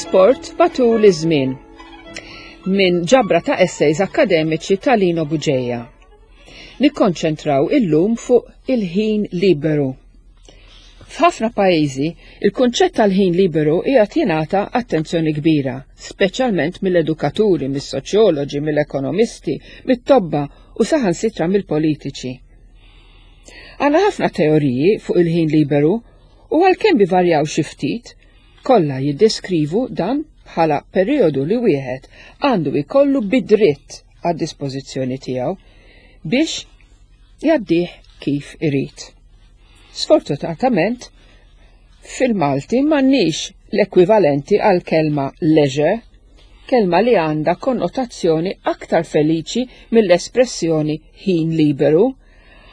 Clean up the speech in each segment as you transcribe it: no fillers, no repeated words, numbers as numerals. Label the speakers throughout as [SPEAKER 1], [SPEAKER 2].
[SPEAKER 1] L-isport matul iż-żmien minn ġabra ta' essays akkademiċi ta' Lino Buġeja. Nikkonċentraw illum fuq il-ħin liberu. F'ħafna pajjiżi, il-kunċett tal-ħin liberu qiegħed jingħata attenzjoni kbira, speċjalment mill-edukaturi, mis-soċjoloġi, mill-ekonomisti, mit-tobba u saħansitra mill-politiċi. Għandna ħafna teoriji fuq il-ħin liberu u għalkemm ivarjaw xi ftit, kollha jiddeskrivu dan bħala perijodu li wieħed għandu jkollu bi dritt għad-dispożizzjoni tiegħu biex jgħaddih kif irid. Sfortunatament, fil-Malti m'għandniex l-ekwivalenti għal kelma leisure, kelma li għandha konnotazzjoni aktar feliċi mill-espressjoni ħin liberu,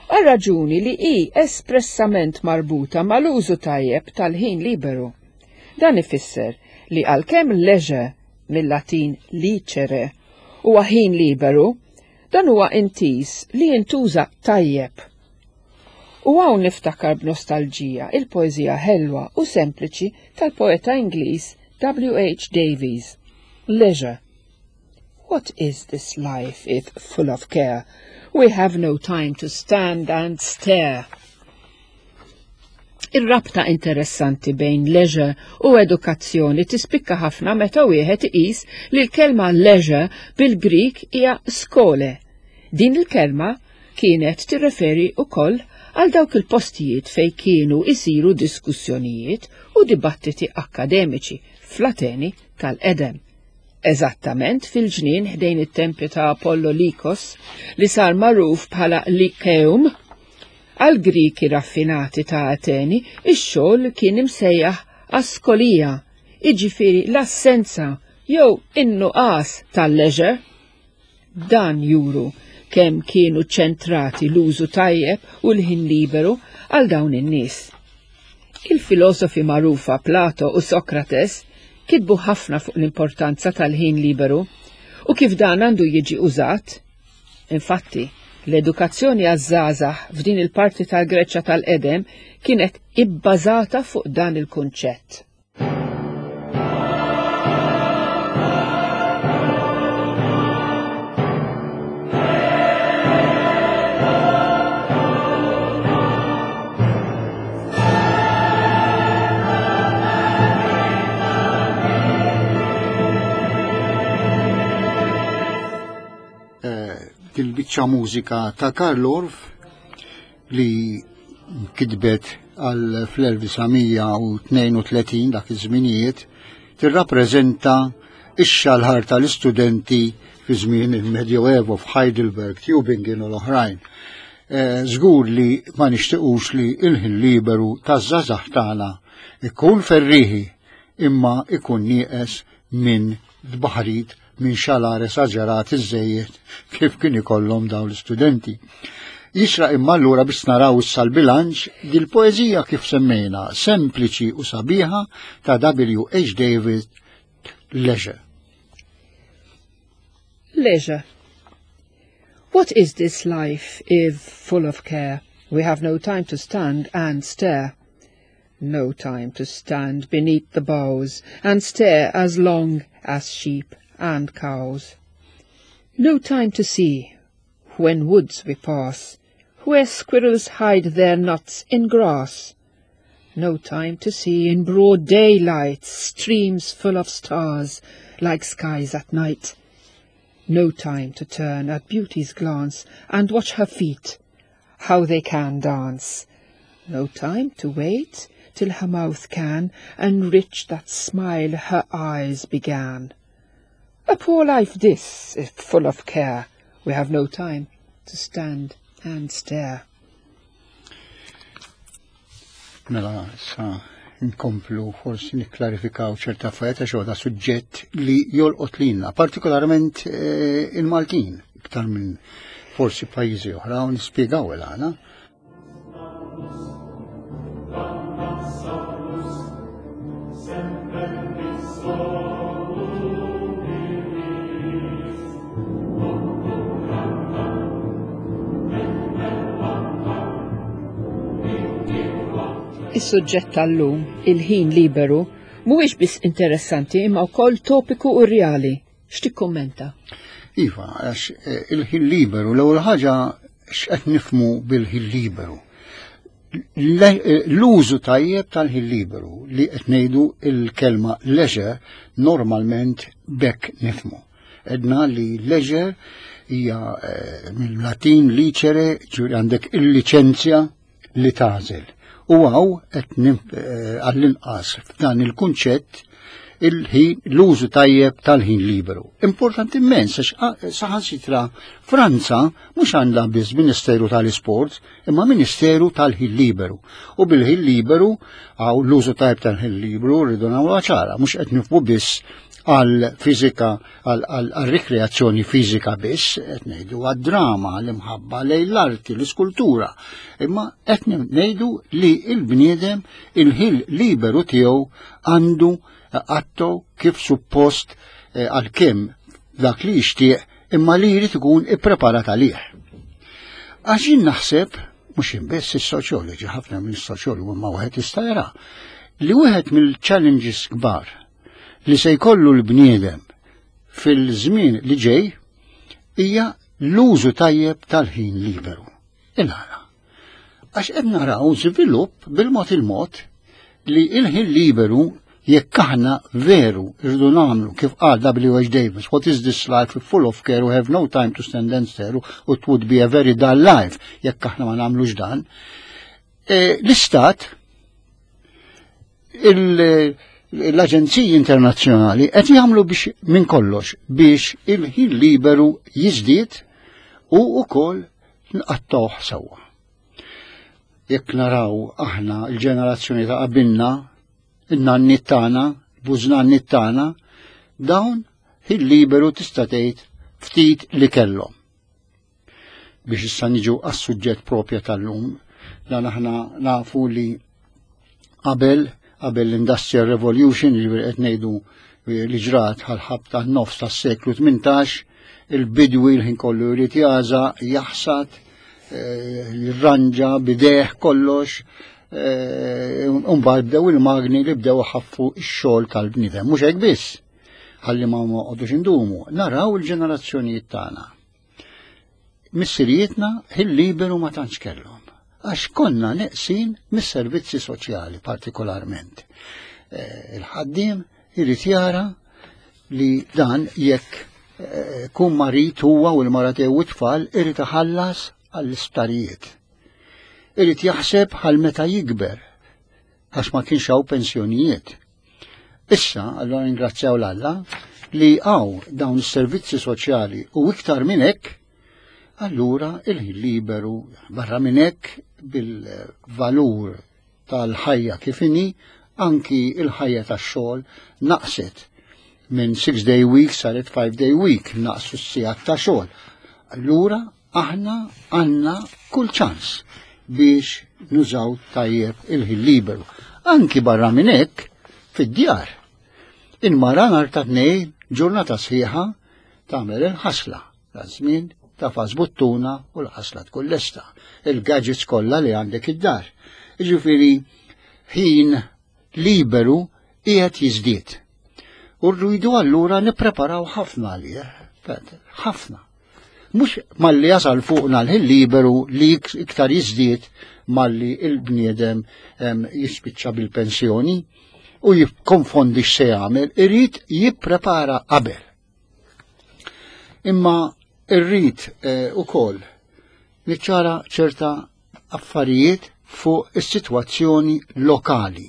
[SPEAKER 1] għal raġuni li hi espressament marbuta mal-użu tajjeb tal-ħin liberu. Dan ifisser li għalkemm leisure mill-Latin licere huwa ħin liberu, dan huwa intiż li jintuża tajjeb. U hawn niftakar b'nostalġija il-poeżija ħelwa u sempliċi tal-poeta Ingliż W.H. Davies, Leisure. What is this life if full of care? We have no time to stand and stare. Ir-rabta interessanti bejn leisure u edukazzjoni tispikka ħafna meta wieħed iqis li l-kelma leisure bil-Grik hija skole. Din il-kelma kienet tirreferi wkoll għal dawk il-postijiet fejn kienu jsiru diskussjonijiet u dibattiti akkademiċi fl-Ateni tal-qedem. Eżattament fil-ġnien ħdejn it-tempju ta' Apollo Likos li sar magħruf bħala Lyceum, għall-Griki raffinati ta' Ateni ix-xogħol kien imsejjaħ askolija, jiġifieri l-assenza jew in-nuqqas tal-leisure. Dan juru kemm kienu ċentrati l-użu tajjeb u l-ħin liberu għal dawn in-nies. Il-filosofi magħrufa Plato u Sokrates kitbu ħafna fuq l-importanza tal-ħin liberu u kif dan għandu jiġi użat. Infatti, l-edukazzjoni għaż-żgħażagħ f'din il-parti tal-Greċja tal-qedem kienet ibbażata fuq dan il-kunċett.
[SPEAKER 2] Dil-biċċa mużika ta' Karl Orff li kitbet għal fl-1932 dak iż-żminijiet tirrappreżenta ix-xalħar tal-istudenti fi żmien il-Medioevo f'Heidelberg, Tübingen u l-oħrajn. Eh, żgur li ma nixtiequx li il-ħin liberu taż-żgħażagħ tagħna ikun ferriħi imma ikun nieqes minn tbaħrid minn xalar esaġerat iżżejjed kif kien ikollhom dawn l-istudenti. Jixraq imma allura biex naraw issa l-bilanċ dil-poeżija kif semmejna sempliċi u sabiħa ta' W. H. David Leisure.
[SPEAKER 1] Leisure. What is this life if full of care? We have no time to stand and stare. No time to stand beneath the boughs and stare as long as sheep and cows. No time to see, when woods we pass, where squirrels hide their nuts in grass. No time to see in broad daylight streams full of stars, like skies at night. No time to turn at beauty's glance and watch her feet, how they can dance. No time to wait till her mouth can enrich that smile her eyes began. A poor life this, if full of care, we have no time to stand and stare.
[SPEAKER 2] Mela, sa nkomplu forsi nikklarifikaw ċerta affarijiet għax huwa suġġett li jolqot lilna, partikolarment eh, il-Maltin, iktar minn forsi pajjiżi oħra u nispjegaw il-għana.
[SPEAKER 1] Is-suġġett tal-lum, il-ħin liberu, Mhuwiex biss interessanti imma wkoll topiku u reali. X'tikkummenta?
[SPEAKER 2] Iva, għax eh, il-ħin liberu, l-ewwel ħaġa x'qed nifmu bil-ħin liberu. Eh, l-użu tajjeb tal-ħin liberu li qed ngħidu il-kelma leisure normalment bekk nifmu. Edna li leisure hija eh, mill-Latin licere, ġifieri għandek il-liċenzja li tagħżel. U għaw qed eh, għall-inqas f'dan il-kunċett il-ħin l-użu tajjeb tal-ħin liberu. Importanti immens għax saħansitra Franza mhux għandha biss Ministeru tal-Isport, imma Ministeru tal-ħin liberu. U bil-ħin liberu għaw l-użu tajjeb tal-ħin liberu rridu nagħmlu ċara, mhux qed nifmu biss għal fiżika għal rikreazzjoni fiżika biss, qed ngħidu għad-drama, l-imħabba lejn l-arti, l-iskultura, imma qed ngħidu li l-bniedem il-ħil liberu tiegħu għandu għatto kif suppost eh, għal-kemm dak li jixtieq imma li jrid ikun ippreparat għalih. Għax jien naħseb, mhux biss is-soċjoloġi, ħafna minn soċjologi ma wieħed jista' jara, li wieħed mill-challenges kbar li se jkollu l-bniedem fil-żmien li ġej hija l-użu tajjeb tal-ħin liberu. Il-għala. Għax qed naraw żvilupp bil-mod il-mod li il-ħin liberu jekk aħna veru irridu nagħmlu kif qal W.H. Davis, what is this life full of care we have no time to stand and stare it would be a very dull life jekk aħna ma nagħmlux dan. E, l-istat l-aġenziji internazzjonali qed jagħmlu biex minn kollox biex il-ħin liberu jiżdied u wkoll nqattgħuh sewwa. Jekk naraw aħna l-ġenerazzjoni ta' qabilna, in-nanniet tagħna, bużnanniet tagħna, dawn ħin liberu tista' tgħid ftit li kellhom. Biex issa niġu għas-suġġett propja tal-lum, dan aħna nafu li qabel qabel l-Industrial Revolution, jiġifieri qed ngħidu li ġrat ħal-ħabta nofs tas-seklu 18, il-bidwi l-ħin kollu jrid jaża, jaħsad, eh, jirranġa bideħ kollox, eh, mbagħad bdew il-magni li bdew ħaffu x-xogħol tal-bniedem. Mhux hekk biss, ħalli ma noqogħdux indumu, naraw il-ġenerazzjonijiet tagħna. Missirijietna ħin liberu ma tantx kellhom għax konna neqsin mis-servizzi soċjali partikolarment. Eh, il-ħaddiem irid jara li dan jekk eh, kun marit huwa u l-mara tiegħu tfal irid iħallas għall-isptarijiet. Irid jaħseb għal meta jikber għax ma kienx hawn pensjonijiet. Issa, allora ringrazzjaw l-Alla li għaw dawn is-servizzi soċjali u iktar minn hekk, allura il-ħin liberu barra minn hekk bil-valur tal-ħajja kif inhi, anki il-ħajja tax-xogħol naqset minn 6 day week saret 5 day week, naqsu s-sigħat ta' xogħol. Allura aħna għandna kull ċans biex nużaw tajjeb il-ħin liberu. Anki barra minn hekk fid-djar. Il-mara nhar ta' tnejn ġurnata sħiħa tagħmel il-ħasla ta' żmien tafas buttuna u l-ħasla tkun lesta. Il-gadgets kollha li għandek id-dar. Jiġifieri ħin liberu qiegħed jiżdied. U rridu allura nippreparaw ħafna għalih, ħafna. Mhux malli jasal fuqna l-ħin liberu li iktar jiżdied malli il-bniedem jispiċċa bil-pensjoni u jikkonfondi x'se jagħmel, irid jipprepara qabel. Imma irrid eh, ukoll niċċara ċerta affarijiet fuq is-sitwazzjoni lokali.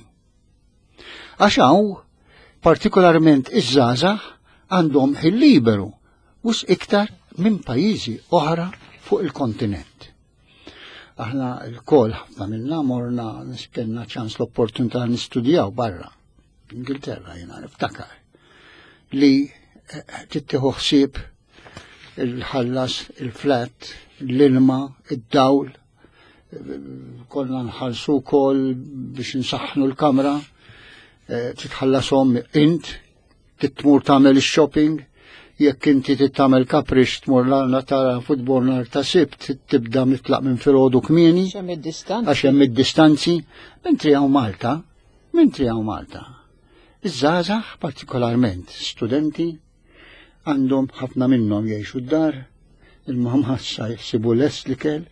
[SPEAKER 2] Għax hawn, partikolarment iż-żgħażagħ għandhom ħin liberu wis iktar minn pajjiżi oħra fuq il-kontinent. Aħna l-kol ħafna minna morna kellna ċans l-opportunità nistudjaw barra. Ingilterra jiena niftakar li eh, tittieħu ħsieb il-ħallas, il-flat, l-ilma, id-dawl, konna nħallsu wkoll biex nsaħħnu l-kamra, eh, titħallasom int, titmur tagħmel ix-shopping, jekk inti tittamel kaprix tmur l tara futbol nar ta' sibt, tibda mitlaq minn filgħodu kmieni. Għax hemm id-distanzi. Mentri hawn Malta, mentri hawn Malta. Iż-żgħażagħ partikolarment studenti għandhom ħafna minnhom jgħixu d-dar, il-mamma sa jħsibu lest l-ikel,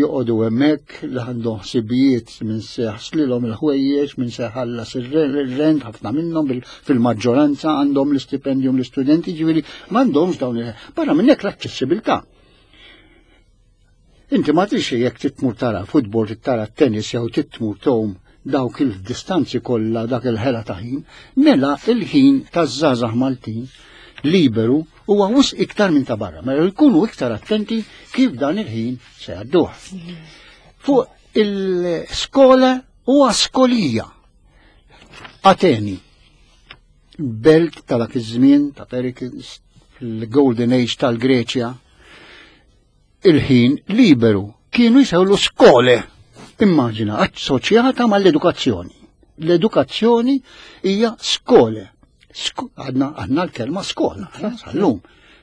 [SPEAKER 2] joqogħdu hemmhekk li għandhom ħsibijiet minn se jaħslilhom il-ħwejjeġ, minn se jħallas ir-rent, ħafna minnhom fil-maġġoranza għandhom l-istipendjum l-istudenti, ġifieri m'għandhomx dawn il Barra minn hekk l-aċċessibilità. Inti ma trix jekk titmur tara futbol, tara tennis jew titmur tgħum dawk il-distanzi kollha dak il-ħela ta' ħin, mela il-ħin taż-żgħażagħ Maltin liberu huwa wisq iktar minn ta' barra, mela jkunu iktar attenti kif dan il-ħin se jgħadduh. Fuq il-skola u askolija. Ateni, belt ta' dak iż-żmien ta' Pericles, fil-Golden Age tal-Greċja, il-ħin liberu kienu jsewlu skole. Immaġina, assoċjata mal-edukazzjoni. L-edukazzjoni hija skole. Għadna għadna l-kelma skola, sal-lum.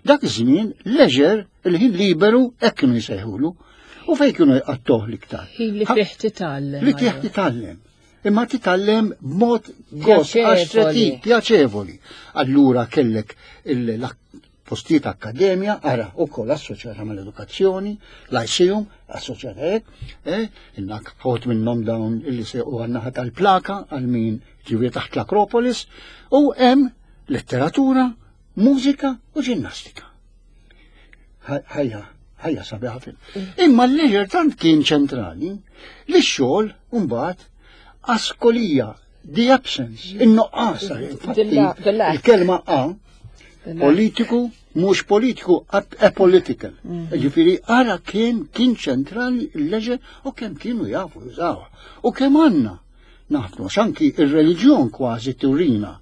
[SPEAKER 2] Dak iż-żmien leisure, il-ħin liberu, hekk kienu jsejħulu. U fejn kienu jqattuh l-iktar?
[SPEAKER 1] Ħin li fih titgħallem.
[SPEAKER 2] Li fih titgħallem. Imma titgħallem b'mod gost, għax pjaċevoli. Allura kellek postijiet akkademja, ara, ukoll assoċjata mal-edukazzjoni, lyceum, assoċjata hekk, eh, innak ħot minnhom dawn illi se u għannaħa tal-plaka għal min ġivi taħt l-Akropolis, u hemm letteratura, mużika u ġinnastika. Ħajja, ħajja sabiħa fil. Imma l-leisure tant kien ċentrali li x-xogħol mbagħad askolija The absence, in-nuqqas, il-kelma A, politiku, mhux politiku, apolitical. Mm. Ġifieri ara kemm kien ċentrali l-leġe u kemm kienu jafu jużawha. U kemm għandna naħdmu x'anki ir-reliġjon kważi turina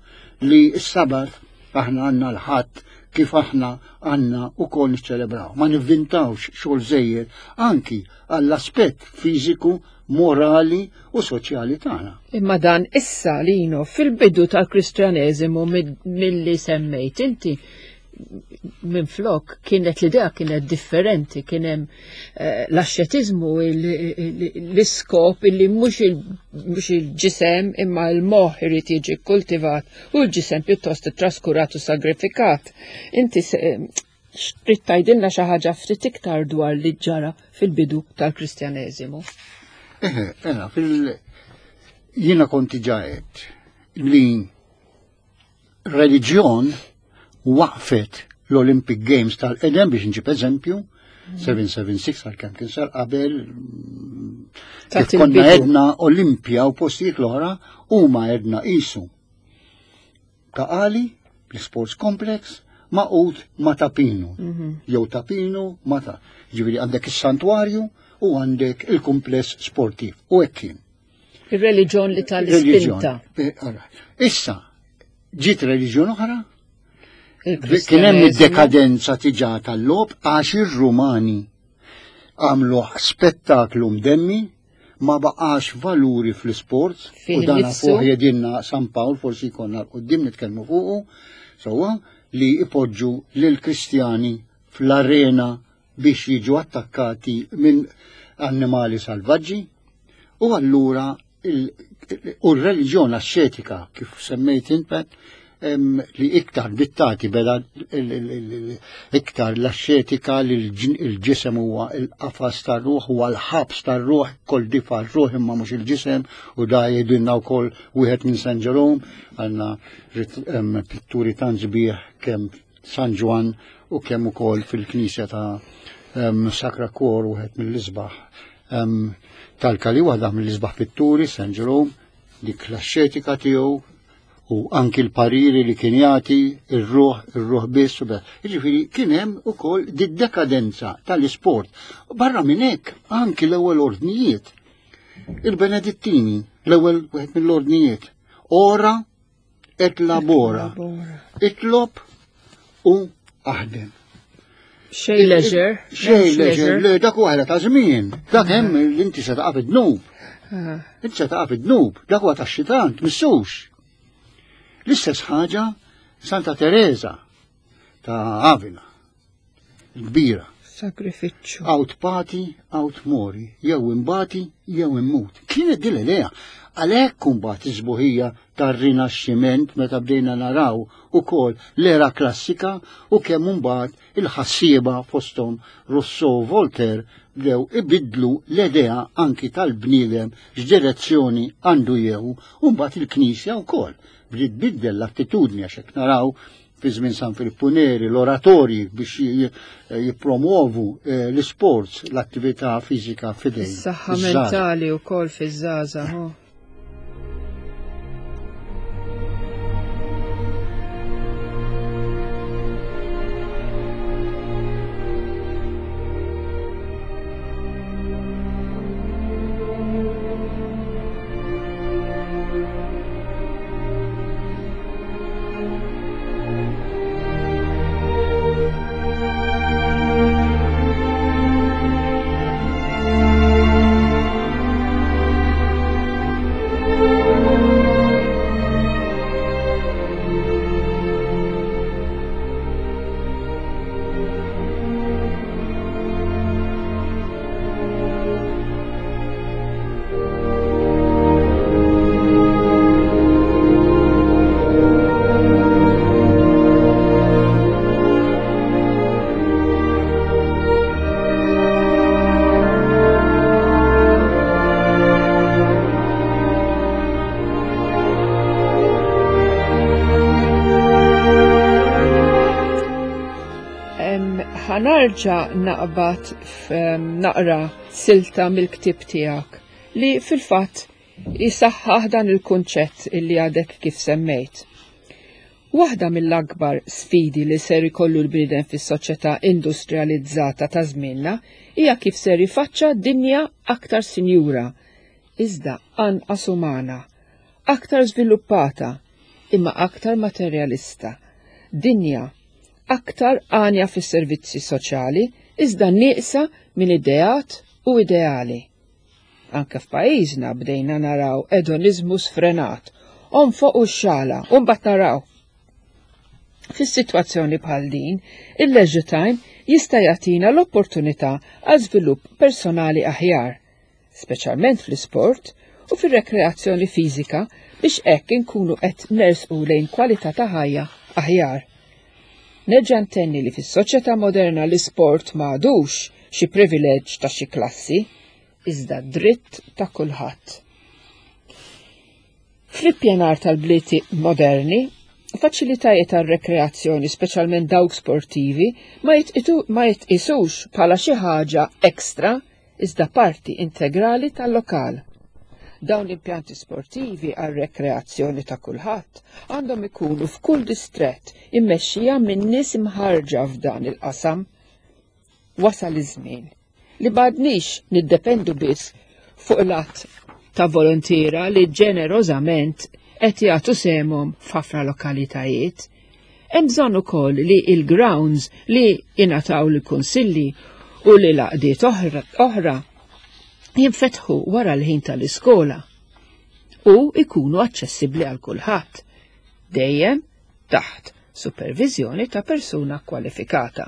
[SPEAKER 2] li s-sabat aħna għandna l-ħadd kif aħna għandna ukoll niċċelebraw. Ma nivvintawx xogħol żejjed anki għall-aspett fiżiku morali u soċjali tagħna.
[SPEAKER 1] Imma dan issa Lino fil-bidu tal-Kristjaneżimu milli semmejt inti minn flok kienet l-idea kienet differenti, kien hemm eh, l-axxetiżmu l-iskop illi mhux il-ġisem imma l-moħħ irid jiġi kultivat u l-ġisem pjuttost traskurat u sagrifikat. Inti Trid tgħidilna xi ħaġa ftit iktar dwar li ġara fil-bidu tal-Kristjaneżimu?
[SPEAKER 2] Eħe, ena, fil jiena konti ġaħet li reliġjon waqfet l-Olympic Games tal-qedem biex nġib eżempju, 776 għal kemm kien sar qabel kif konna edna Olimpja u postijiet l-oħra huma edna isu. Ta' Qali, l-Sports Complex, maqut ma' Ta' Pinu. Mhm. Jew Ta' Pinu ma' ta' Ġifieri għandek is-santwarju u għandek il-kumpless sportiv. U hekk kien.
[SPEAKER 1] Ir-reliġjon li tal-ispinta.
[SPEAKER 2] Eh, Issa, ġiet reliġjon oħra, kien hemm id-dekadenza tiġa tal-lob għax ir-Rumani għamlu spettaklu mdemmi ma baqax valuri fl-isport u dan fuq jedinna San Pawl forsi jkollna l-qoddim nitkellmu fuqu sewwa li ipoġġu lil Kristjani fl-arena biex jiġu attakkati minn annimali salvaġġi u allura u r-reliġjon ascetika kif semmejt inpet li iktar bittati beda iktar l-ascetika li l-ġisem huwa l-qafas tar-ruħ huwa l-ħabs tar-ruħ kol difa r-ruħ imma mhux il-ġisem u da jgħidilna wkoll wieħed minn San Ġerom għandna pitturi tant sbieħ kemm San Ġwann u kemm ukoll fil-knisja ta' Sacra Cuor wieħed mill-isbaħ tal-Kali waħda mill-isbaħ pitturi San Ġerom dik l-ascetika tiegħu u anki l-pariri li kien jagħti ir-ruħ, ir-ruħ biss. Jiġifieri kien hemm ukoll did-dekadenza tal-isport. Barra minn hekk anki l-ewwel ordnijiet. Il-Benedittini, l-ewwel wieħed mill-ordnijiet. Ora et labora. Itlob u aħdem.
[SPEAKER 1] Xej leisure.
[SPEAKER 2] Xej leisure, le dak huwa ta' żmien. Dak hemm li inti se taqa' fid-dnub. Ah. Inti se taqa' fid-dnub, dak huwa tax-xitan, tmissux. L-istess ħaġa Santa Teresa ta' Avila, kbira.
[SPEAKER 1] Sagrifiċċju.
[SPEAKER 2] Aut pati, aut mori, jew imbati, jew immut. Kienet din l-idea. Għalhekk imbagħad is-sbuħija tar-Rinaxximent meta bdejna naraw ukoll l-era klassika u kemm imbagħad il-ħassieba fosthom Rousseau Voltaire bdew ibiddlu l-idea anki tal-bniedem x'direzzjoni għandu jieħu u mbagħad il-Knisja wkoll bdiet tbiddel l-attitudni għax hekk naraw fi żmien San Filippu Neri l-oratorji biex jippromuovu eh, l-isports, l-attività fiżika fidejn.
[SPEAKER 1] Is-saħħa mentali wkoll fiż-żgħażagħ. Ħanarġa naqbad naqra silta mill-ktieb tiegħek li fil-fatt jisaħħaħ dan il-kunċett illi għadek kif semmejt. Waħda mill-akbar sfidi li ser ikollu l-bniedem fis-soċjetà industrializzata ta' żmienna hija kif ser jifaċċa dinja aktar sinjura, iżda anqas umana, aktar żviluppata, imma aktar materjalista, dinja aktar għanja fis-servizzi soċjali, iżda nieqsa minn ideat u ideali. Anke f'pajjiżna bdejna naraw edoniżmu sfrenat, onfoq u xxala, u mbagħad naraw. Fis-sitwazzjoni bħal din, il-leisure time jista' jagħtina l-opportunità għal żvilupp personali aħjar, speċjalment fl-isport u fir-rekreazzjoni fiżika biex hekk inkunu qed nersqu lejn kwalità ta' ħajja aħjar. Nerġa' ntenni li fis-soċjetà moderna l-isport m'għadux xi privileġġ ta' xi klassi, iżda dritt ta' kulħadd. Fl-ippjanar tal-bliet moderni, faċilitajiet għar-rekreazzjoni, speċjalment dawk sportivi, ma jitqisux bħala xi ħaġa ekstra iżda parti integrali tal-lokal. Dawn l-impjanti sportivi għar-rekreazzjoni ta' kulħadd għandhom ikunu f'kull distrett immexxija minn nies imħarrġa f'dan il-qasam. Wasal iż-żmien li m'għadniex niddependu biss fuq l-att ta' volontiera li ġenerożament qed jagħtu sehemhom f'ħafna lokalitajiet. Hemm bżonn ukoll li l-grounds li jingħataw lill-kunsilli u lil għaqdiet oħra jinfetħu wara l-ħin tal-iskola u jkunu aċċessibbli għal kulħadd, dejjem taħt superviżjoni ta' persuna kwalifikata.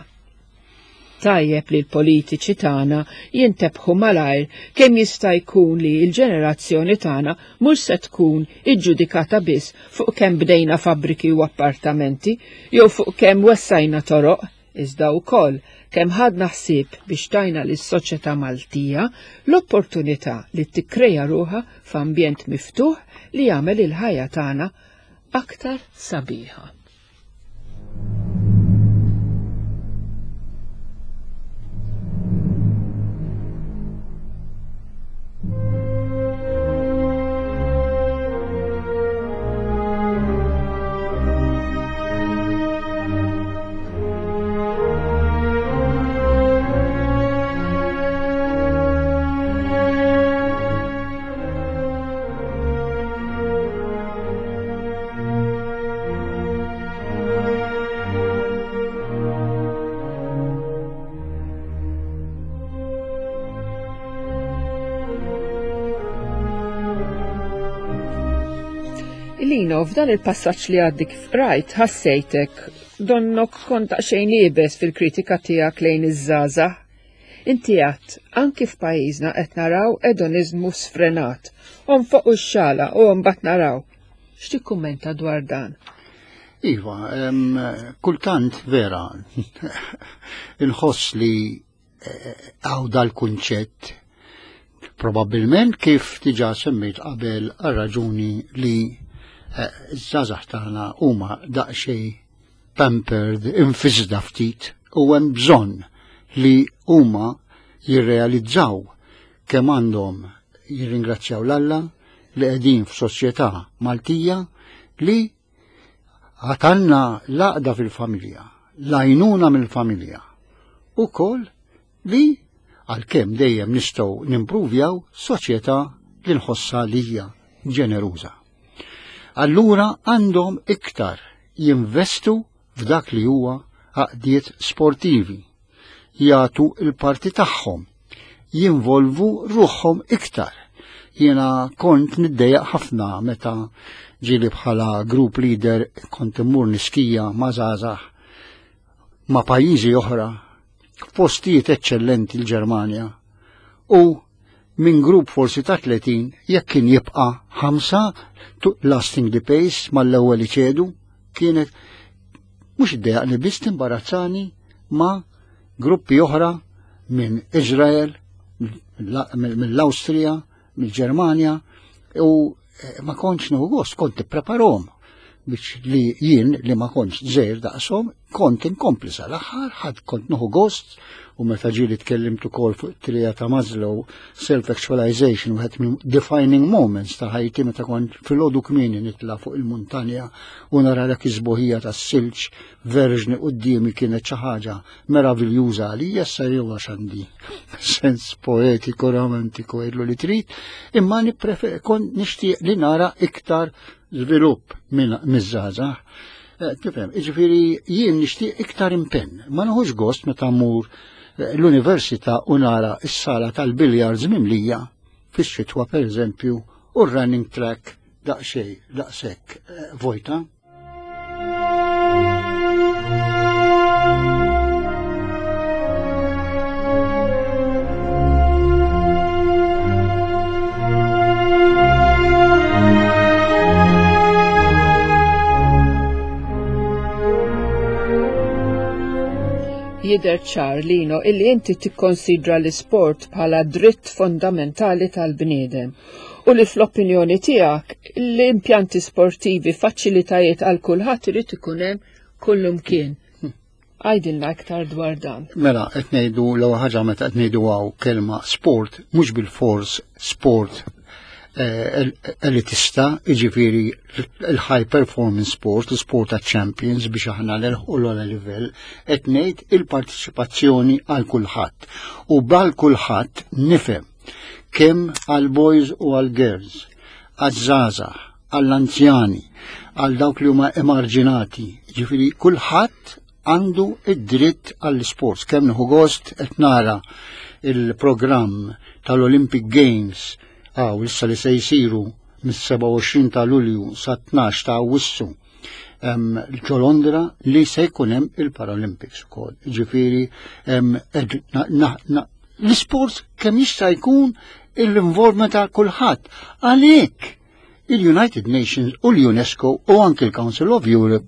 [SPEAKER 1] Tajjeb li l-politiċi tagħna jintebħu malajr kemm jista' jkun li l-ġenerazzjoni tagħna mhux se tkun iġġudikata biss fuq kemm bdejna fabbriki u appartamenti jew fuq kemm wessajna toroq, iżda wkoll kemm ħadna ħsieb biex tajna lis-soċjetà Maltija l-opportunità li tikkreja ruħha f'ambjent miftuħ li jagħmel il-ħajja tagħna aktar sabiħa. Lino, f'dan il-passaġġ li għaddi kif qrajt, ħassejtek donnok kont daqsxejn iebes fil-kritika tiegħek lejn iż-żgħażagħ. Inti għedt, anki f'pajjiżna qed naraw edoniżmu sfrenat. Onfoq u x-xala u mbagħad naraw. X'tikkummenta dwar dan?
[SPEAKER 2] Iva, kultant vera, inħoss li għaw dal-kunċett probabbilment kif diġà semmejt qabel għal raġuni li ż-żgħażagħ tagħna huma daqsxejn pampered, infisda ftit u hemm bżonn li huma jirrealizzaw kemm għandhom jirringrazzjaw l-Alla li qegħdin f'soċjetà Maltija li għatanna l-għaqda fil-familja, l-għajnuna mill-familja, u kol li għalkemm dejjem nistgħu nimpruvjaw soċjetà li nħossha li hija ġeneruża. Allura għandhom iktar jinvestu f'dak li huwa għaqdiet sportivi, jagħtu l-parti tagħhom, jinvolvu ruħhom iktar. Jiena kont niddejjaq ħafna meta ġieli bħala group leader kont immur niskija ma' żgħażagħ ma' pajjiżi oħra f'postijiet eċċellenti l-Ġermanja u minn grupp forsi ta' 30 jekk kien jibqa' 5 lasting the pace mal-ewwel iċedu kienet mhux iddejjaqni biss timbarazzani ma' gruppi oħra minn Izrael, mill-Awstrija, mill-Ġermanja u ma kontx nieħu gost, kont ippreparhom biex li jien li ma kontx żgħir daqshom kont inkompli sal-aħħar, ħadd kont nieħu gost u meta ġieli tkellimt ukoll fuq it-trija ta' Maslow self-actualization wieħed minn defining moments ta' ħajti meta kont filgħodu kmieni nitla' fuq il-muntanja u nara dak iż-sbuħija tas-silġ verġni quddiemi kienet xi ħaġa meraviljuża għalija issa jew għax għandi sens poetiku romantiku għidlu li trid, imma kont nixtieq li nara iktar żvilupp miż-żgħażagħ. Tifhem, jiġifieri jien nixtieq iktar impenn. Ma nieħux gost meta mmur l-università u nara s-sala tal-biljards mimlija fix-xitwa pereżempju u r-running track daqsxejn daqshekk vojta.
[SPEAKER 1] Jidher ċar, Lino, illi inti tikkonsidra l-isport bħala dritt fondamentali tal-bniedem u li fl-opinjoni tiegħek l-impjanti sportivi, faċilitajiet għal kulħadd irid ikun hemm kullumkien. Għidilna iktar dwar dan.
[SPEAKER 2] Mela, qed ngħidu l-ewwel ħaġa meta qed ngħidu hawn kelma sport, mhux bilfors sport elitista, jiġifieri l-high performance sport, l-sport ta' champions biex aħna nilħqu l-ogħla livell, qed ngħid il-partiċipazzjoni għal kulħadd. U b'għal kulħadd nifhem kemm għal boys u għal girls, għaż-żgħażagħ, għall-anzjani, għal dawk li huma emarġinati, ġifieri kulħadd għandu id-dritt għall-sports. Kemm nieħu gost qed nara il-programm tal-Olympic Games għaw issa li se jsiru mis-27 ta' Lulju sa 12 ta' Awwissu ġo Londra li se jkun hemm il-Paralympics ukoll. Ġifieri l-isport kemm jista' jkun l-involvement ta' kulħadd. Għalhekk il-United Nations u l-UNESCO u anki l-Council of Europe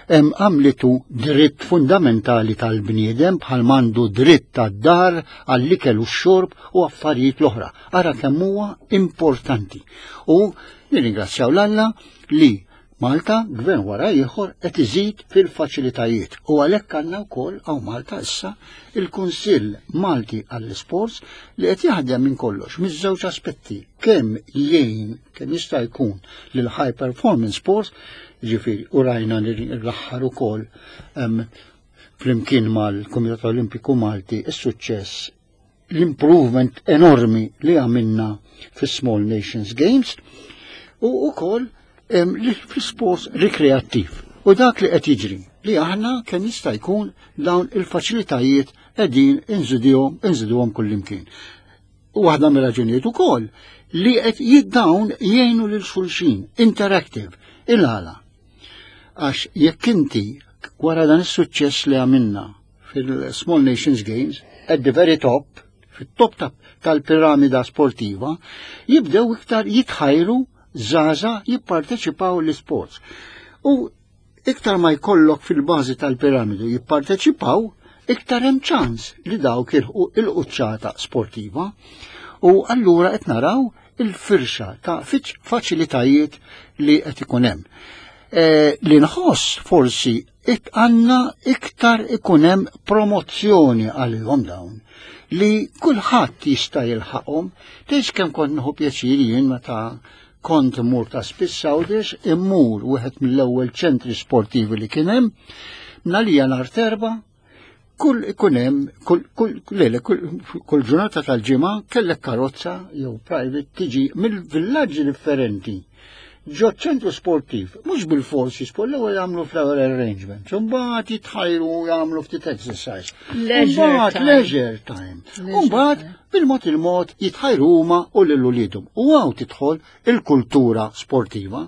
[SPEAKER 2] għamlitu dritt fundamentali tal-bniedem bħal mandu dritt tad-dar għall-ikel u x-xorb u affarijiet l-oħra. Ara kemm huwa importanti. U nirringrazzjaw l-Alla li Malta, gvern wara ieħor, qed iżid fil-faċilitajiet u għalhekk għandna wkoll hawn Malta issa il-Kunsill Malti għall-Isports li qed jaħdem minn kollox miż-żewġ aspetti kemm jgħin kemm jista' jkun lil high performance sports, ġifieri u rajna l-aħħar ukoll flimkien mal-Kumitat Olimpiku Malti is-suċċess l-improvement enormi li għamilna fis-Small Nations Games u wkoll fl-sports rikreattiv. U dak li qed jiġri li aħna kemm jista' jkun dawn il-faċilitajiet qegħdin inżiduhom kullimkien. U waħda mir-raġunijiet ukoll li qed jiddawn jgħinu lil xulxin, interactive, il-għala. Għax jekk inti wara dan is-suċċess li għamilna fil-Small Nations Games, at the very top, fit-top tal-piramida sportiva, jibdew iktar jitħajru żgħażagħ jipparteċipaw l-isports. U iktar ma jkollok fil-bażi tal-piramidu jipparteċipaw, iktar hemm ċans li dawk ilħqu il-quċċata sportiva. U allura qed naraw il-firxa ta' faċilitajiet li qed ikun hemm. E, li nħoss forsi għandna iktar ikun hemm promozzjoni għalihom dawn li kulħadd jista' jilħaqhom. Tgħidx kemm kont nieħu pjaċir jien meta kont immur ta' spiss Għawdex, immur wieħed mill-ewwel ċentri sportivi li kien hemm, nalija nhar terba, kull ikun hemm kull kull lele kull, kull ġurnata tal-ġimgħa kellek karozza jew private tiġi mill-villaġġi differenti ġo ċentru sportiv, mhux bil-forsi sport l-ewwel jagħmlu flower arrangement, imbagħad jitħajru jagħmlu ftit exercise.
[SPEAKER 1] Leisure time.
[SPEAKER 2] Leisure time. Imbagħad bil-mod il-mod jitħajru huma u lil uliedhom. U hawn tidħol il-kultura sportiva.